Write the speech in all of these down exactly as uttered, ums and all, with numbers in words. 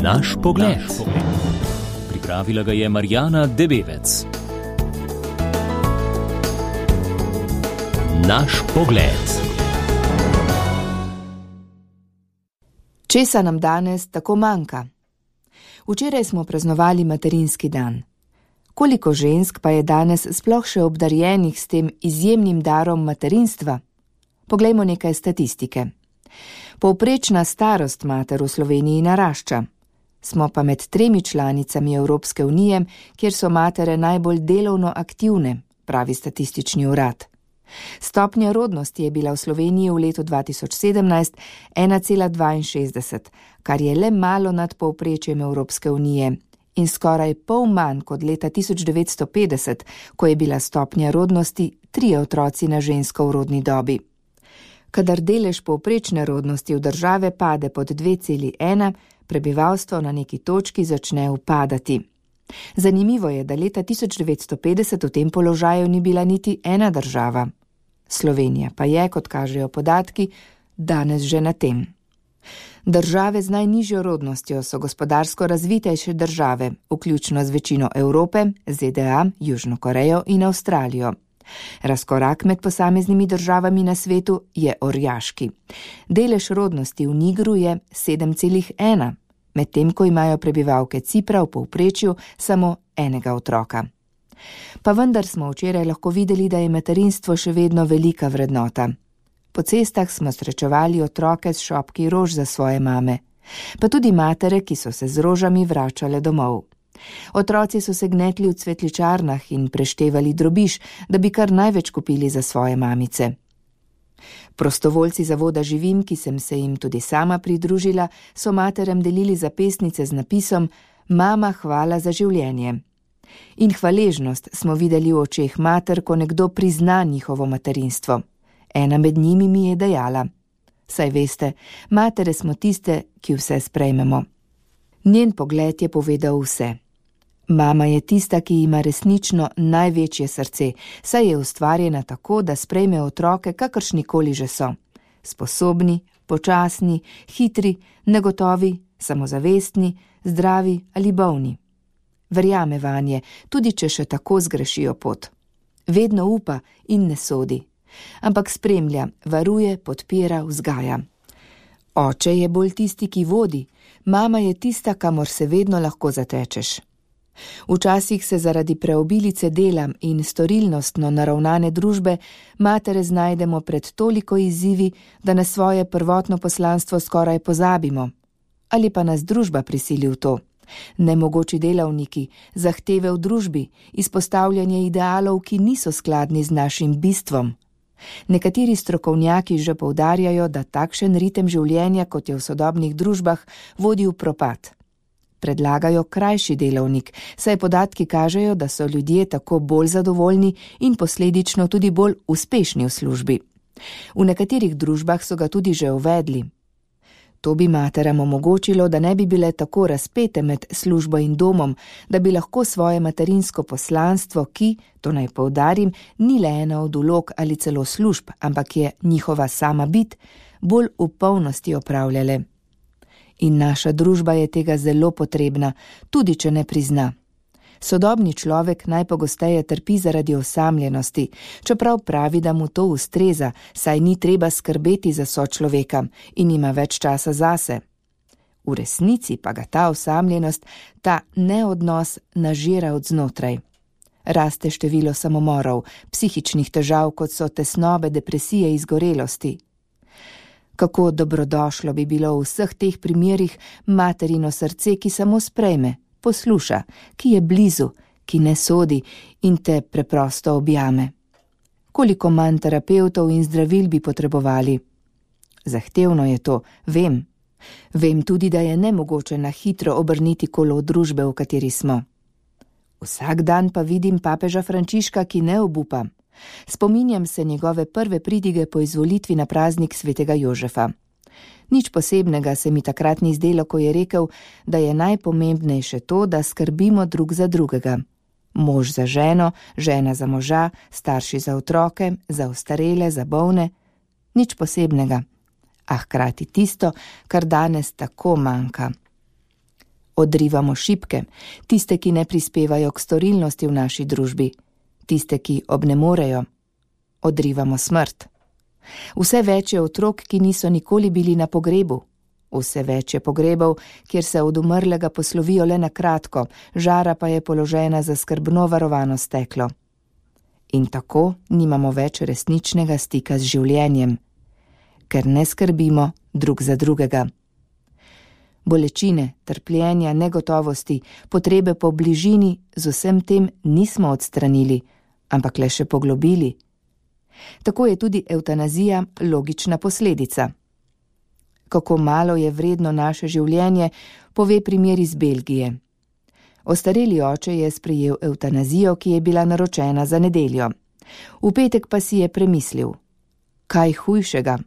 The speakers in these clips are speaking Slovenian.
Naš pogled. Pripravila ga je Marjana Debevec. Naš pogled. Česa nam danes tako manjka? Včeraj smo praznovali materinski dan. Koliko žensk pa je danes sploh še obdarjenih s tem izjemnim darom materinstva? Poglejmo nekaj statistike. Povprečna starost mater v Sloveniji narašča. Smo pa med tremi članicami Evropske unije, kjer so matere najbolj delovno aktivne, pravi statistični urad. Stopnja rodnosti je bila v Sloveniji v letu dva tisoč sedemnajst ena cela dvainšestdeset, kar je le malo nad povprečjem Evropske unije in skoraj pol manj kot leta tisoč devetsto petdeset, ko je bila stopnja rodnosti trije otroci na žensko v rodni dobi. Kadar delež povprečne rodnosti v države pade pod dve celi ena, prebivalstvo na neki točki začne upadati. Zanimivo je, da leta tisoč devetsto petdeset v tem položaju ni bila niti ena država. Slovenija pa je, kot kažejo podatki, danes že na tem. Države z najnižjo rodnostjo so gospodarsko razvitejše države, vključno z večino Evrope, Z D A, Južno Korejo in Avstralijo. Razkorak med posameznimi državami na svetu je orjaški. Delež rodnosti v Nigru je sedem cela ena, medtem ko imajo prebivalke Cipra v povprečju samo enega otroka. Pa vendar smo včeraj lahko videli, da je materinstvo še vedno velika vrednota. Po cestah smo srečevali otroke s šopki rož za svoje mame, pa tudi matere, ki so se z rožami vračale domov. Otroci so se gnetli v cvetličarnah in preštevali drobiž, da bi kar največ kupili za svoje mamice. Prostovoljci zavoda Živim, ki sem se jim tudi sama pridružila, so materem delili zapestnice z napisom Mama, hvala za življenje. In hvaležnost smo videli v očeh mater, ko nekdo prizna njihovo materinstvo. Ena med njimi mi je dejala: saj veste, matere smo tiste, ki vse sprejmemo. Njen pogled je povedal vse. Mama je tista, ki ima resnično največje srce, saj je ustvarjena tako, da sprejme otroke, kakršnikoli že so. Sposobni, počasni, hitri, negotovi, samozavestni, zdravi ali bolni. Verjame vanje, tudi če še tako zgrešijo pot. Vedno upa in ne sodi, ampak spremlja, varuje, podpira, vzgaja. Oče je bolj tisti, ki vodi, mama je tista, kamor se vedno lahko zatečeš. Včasih se zaradi preobilice dela in storilnostno naravnane družbe matere znajdemo pred toliko izzivi, da na svoje prvotno poslanstvo skoraj pozabimo. Ali pa nas družba prisili v to. Nemogoči delavniki, zahteve v družbi, izpostavljanje idealov, ki niso skladni z našim bistvom. Nekateri strokovnjaki že poudarjajo, da takšen ritem življenja, kot je v sodobnih družbah, vodi v propad. Predlagajo krajši delovnik, saj podatki kažejo, da so ljudje tako bolj zadovoljni in posledično tudi bolj uspešni v službi. V nekaterih družbah so ga tudi že uvedli. To bi materam omogočilo, da ne bi bile tako razpete med službo in domom, da bi lahko svoje materinsko poslanstvo, ki, to naj poudarim, ni le ena od vlog ali celo služb, ampak je njihova sama bit, bolj v polnosti opravljale. In naša družba je tega zelo potrebna, tudi če ne prizna. Sodobni človek najpogosteje trpi zaradi osamljenosti, čeprav pravi, da mu to ustreza, saj ni treba skrbeti za sočloveka in ima več časa zase. V resnici pa ga ta osamljenost, ta neodnos nažira od znotraj. Raste število samomorov, psihičnih težav, kot so tesnobe, depresije, izgorelosti. Kako dobrodošlo bi bilo v vseh teh primerih materino srce, ki samo sprejme, posluša, ki je blizu, ki ne sodi in te preprosto objame. Koliko manj terapevtov in zdravil bi potrebovali? Zahtevno je to, vem. Vem tudi, da je nemogoče na hitro obrniti kolo družbe, v kateri smo. Vsak dan pa vidim papeža Frančiška, ki ne obupa. Spominjam se njegove prve pridige po izvolitvi na praznik svetega Jožefa. Nič posebnega se mi takrat ni zdelo, ko je rekel, da je najpomembnejše to, da skrbimo drug za drugega. Mož za ženo, žena za moža, starši za otroke, za ostarele, za bolne. Nič posebnega, a hkrati tisto, kar danes tako manjka. Odrivamo šibke, tiste, ki ne prispevajo k storilnosti v naši družbi, tiste, ki obnemorejo. Odrivamo smrt. Vse več je otrok, ki niso nikoli bili na pogrebu. Vse več je pogrebov, kjer se od umrlega poslovijo le na kratko, žara pa je položena za skrbno varovano steklo. In tako nimamo več resničnega stika z življenjem, ker ne skrbimo drug za drugega. Bolečine, trpljenja, negotovosti, potrebe po bližini z vsem tem nismo odstranili, ampak le še poglobili. Tako je tudi evtanazija logična posledica. Kako malo je vredno naše življenje, pove primer iz Belgije. Ostareli oče je sprejel evtanazijo, ki je bila naročena za nedeljo. V petek pa si je premislil. Kaj hujšega?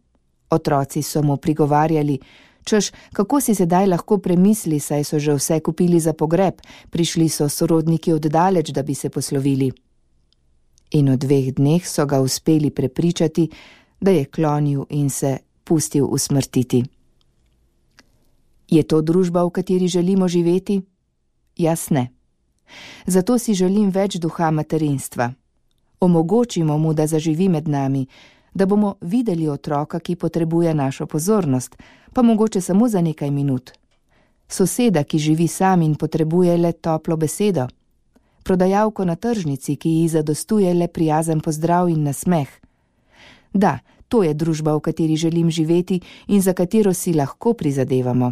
Otroci so mu prigovarjali, češ, kako si sedaj lahko premisli, saj so že vse kupili za pogreb, prišli so sorodniki oddaleč, da bi se poslovili. In v dveh dneh so ga uspeli prepričati, da je klonil in se pustil usmrtiti. Je to družba, v kateri želimo živeti? Jaz ne. Zato si želim več duha materinstva. Omogočimo mu, da zaživi med nami, da bomo videli otroka, ki potrebuje našo pozornost, pa mogoče samo za nekaj minut. Soseda, ki živi sam in potrebuje le toplo besedo. Prodajalko na tržnici, ki ji zadostuje le prijazen pozdrav in nasmeh. Da, to je družba, v kateri želim živeti in za katero si lahko prizadevamo.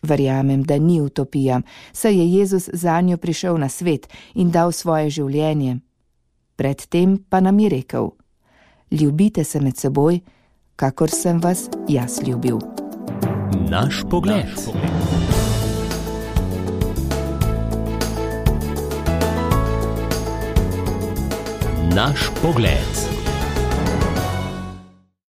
Verjamem, da ni utopija, saj je Jezus zanjo prišel na svet in dal svoje življenje. Predtem pa nam je rekel: ljubite se med seboj, kakor sem vas jaz ljubil. Naš pogled. Naš pogled.